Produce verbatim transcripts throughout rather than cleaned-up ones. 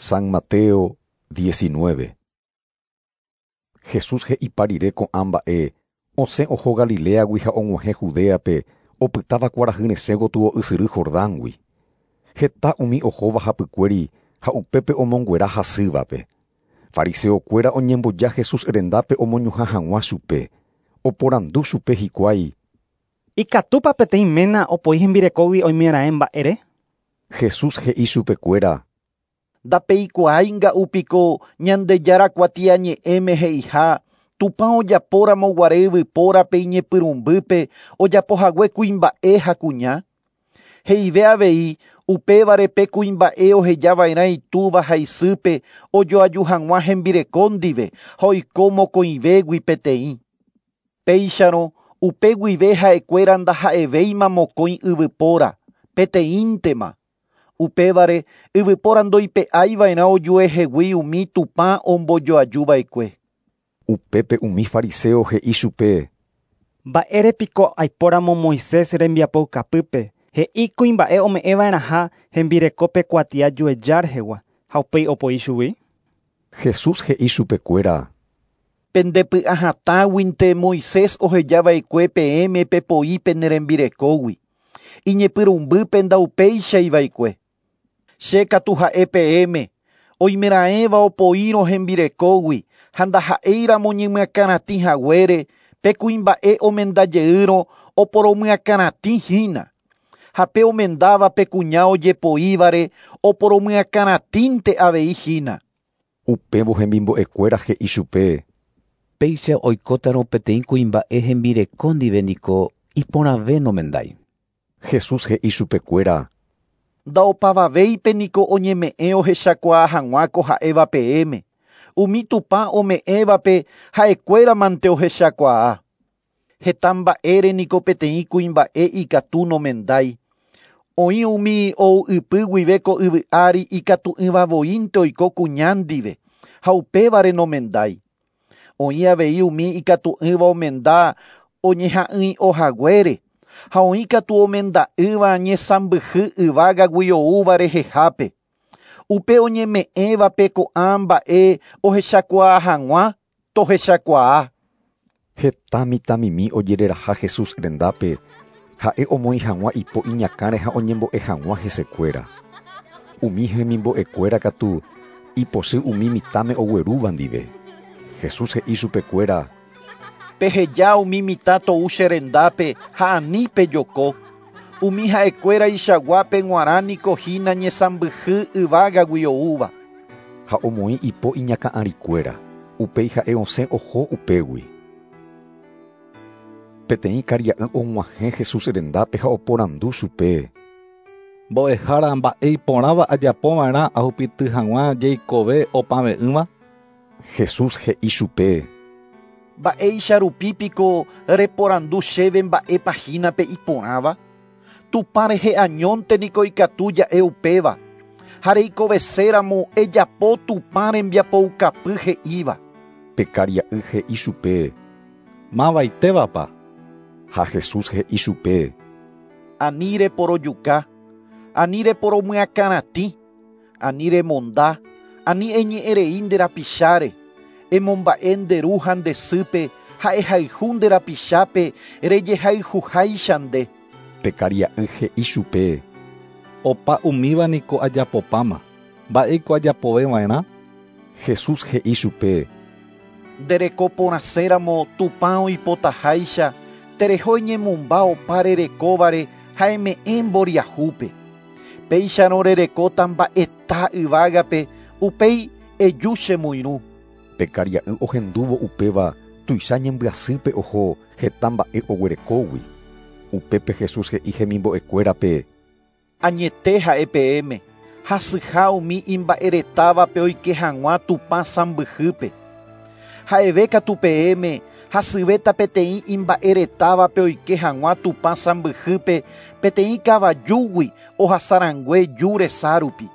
San Mateo diecinueve. Jesús he'ipa rire ko'ã mba'e osẽ oho Galileagui ha og̃uahẽ Judeape opytáva kuarahyresẽ gotyo ysyry Jordángui. Heta umi ohóva hapykuéri ha upépe omonguera hasývape. Fariseokuéra oñemboja Jesús rendápe omoñuhã hag̃ua chupe. Oporandu chupe hikuái. Ikatúpa peteĩ ména opoi hembirekógui oimeraẽ mba'ére? Jesús he'i chupekuéra. Ndapeikuaáinga upiko Ñandejára kuatiañe'ẽme he'iha Tupã ojapóramo guare yvypórape iñepyrũmbýpe ojapohague kuimba'e ha kuña. He'ive avei upévare pe kuimba'e ohejava'erã itúva ha isýpe ojoaju hag̃ua hembireko ndive ha oiko mokõivégui peteĩ. Péicharõ upe guive ha'ekuéra ndaha'evéima mokõi yvypóra, peteĩntema. Upévare yvypóra ndoipe'aiva'erã ojuehegui umi Tupã ombojoajuva'ekue. Upépe umi fariseo he'i chupe. Mba'érepiko aipóramo Moisés rembiapoukapýpe he'i kuimba'e ome'ẽva'erãha hembirekópe kuatia jueja rehegua ha upéi opoi chugui? Jesús he'i chupekuéra. Pendepy'ahatãguinte Moisés ohejava'ekue peẽme pepoi pene rembirekógui. Iñepyrũmbýpe ndaupeichaiva'ekue. Che katu ha'e peẽme oimeraẽva opoírõ hembirekógui ha ndaha'éiramo ñemyakãratĩ haguére pe kuimba'e omendajeýrõ oporomyakãratĩhína. Ha pe omendáva pe kuña ojepoívare oporomyakãratĩnte avei hína. Upévo hemimbo'ekuéra he'i chupe. Péicha oikótarõ peteĩ kuimba'e hembireko ndive niko iporãve nomendái. Jesús he'i chupekuéra. Ndaopavavéipe niko oñeme'ẽ ohechakuaa hag̃ua ko ha'éva peẽme. Umi Tupã ome'ẽvape ha'ekuéramante ohechakuaa. Heta mba'ére niko peteĩ kuimba'e ikatu nomendái. Oĩ umi ou ypy guive ko yvy ári ikatu'ỹvavoínte oiko kuña ndive ha upévare nomendái. Oĩ avei umi ikatu'ỹva omenda oñeha'ỹi'ohaguére ha oĩ katu omenda'ỹva ñesãmbyhy yvágagui oúva rehehápe. Upe oñeme'ẽvape ko'ã mba'e ohechakuaa hag̃ua tohechakuaa. Heta mitãmimi ojereraha Jesús rendápe ha'e omoĩ hag̃ua ipo iñakãre ha oñembo'e hag̃ua hesekuéra. Umi hemimbo'ekuéra katu ipochy umi mitãme oguerúva ndive. Jesús he'i chupekuéra. Peheja umi mitã tou che rendápe ha ani pejoko. Umi ha'ekuéra ichaguápe g̃uarã niko hína ñesãmbyhy yvágagui oúva. Ha omoĩ ipo iñakã'arikuéra. Upéi ha'e osẽ oho upégui. Peteĩ karia'y og̃uahẽ Jesús rendápe ha oporandu chupe. Mbo'ehára mba'e iporãva ajapova'erã ahupyty hag̃ua jeikove opave'ỹva? Jesús he'i chupe. Mba'éicha rupípiko reporandu chéve mba'épa hína pe iporãva? Tupã rehe añónte niko ikatu ja'e upéva. Ha reikoveséramo ejapo Tupã rembiapoukapy he'íva. Pe karia'y he'i chupe. Mavaitévapa? Ha Jesús he'i chupe. Ani reporojuka, ani reporomyakãratĩ, ani remonda, ani eñe'ẽrei nde rapicháre, emomba'e nde ru ha nde sýpe ha ehayhu nde rapichápe rejehayhuháicha nde. Pe karia'y he'i chupe. Opa umíva niko ajapopáma. Mba'éiko ajapoveva'erã? Jesús he'i chupe. Nderekoporãséramo Tupã oipotaháicha tereho eñemumba opa rerekóvare ha eme'ẽ mboriahúpe. Péicharõ rerekóta mba'eta yvágape upéi eju chemoirũ. Pe karia'y ohendúvo upéva tuicha ñembyasýpe oho heta mba'e oguerekógui. Upépe Jesús he'i hemimbo'ekuérape. Añete ha'e peẽme hasyha umi imba'eretávape oike hag̃ua Tupã sãmbyhýpe. Ha'eve katu peẽme hasyvéta peteĩ imba'eretávape oike hag̃ua Tupã sãmbyhýpe peteĩ kavajúgui ohasarãngue ju resa rupi.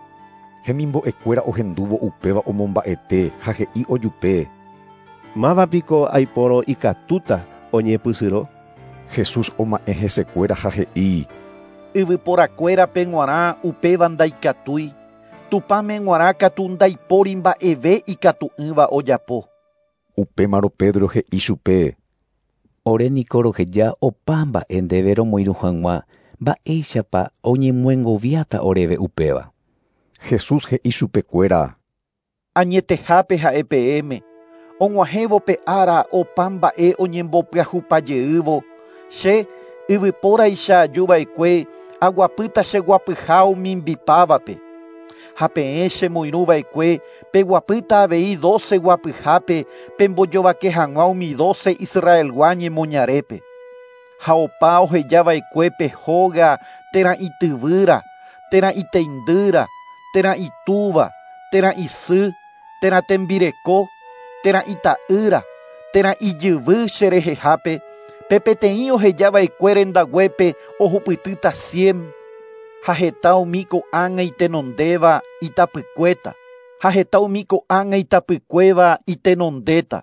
Hemimbo'ekuéra ohendúvo upéva omomba'ete ha he'i ojupe. Mávapiko aipórõ ikatúta oñepysyrõ? Jesús oma'ẽ hesekuéra ha he'i. Yvyporakuérape g̃uarã upéva ndaikatúi. Tupãme g̃uarã katu ndaipóri mba'eve ikatu'ỹva ojapo. Upémarõ Pedro he'i chupe: Ore niko roheja opa mba'e ndéve romoirũ hag̃ua mba'éichapa oñemyengoviáta oréve upéva. Jesús he'i chupekuéra: Añetehápe ha'e peẽme, og̃uahẽvo pe ára opa mba'e oñembopyahupajeývo, che yvypóraicha ajuva'ekue aguapýta cheguapyha omimbipávape. Ha peẽ chemoirũva'ekue peguapýta avei doce guapyhápe pembojovake hag̃ua umi doce Israelgua ñemoñarépe. Ha opa ohejava'ekue pe hóga térã ityvýra, térã iteindýra, térã itúva, térã isy, térã tembireko, térã ita'ýra, térã ijyvy cherehehápe, pe peteĩ ohejava'ekue rendaguépe ohupytýta cien. Ha heta umi ko'ág̃a itenondéva itapykuéta, ha heta umi ko'ág̃a itapykuéva itenondéta.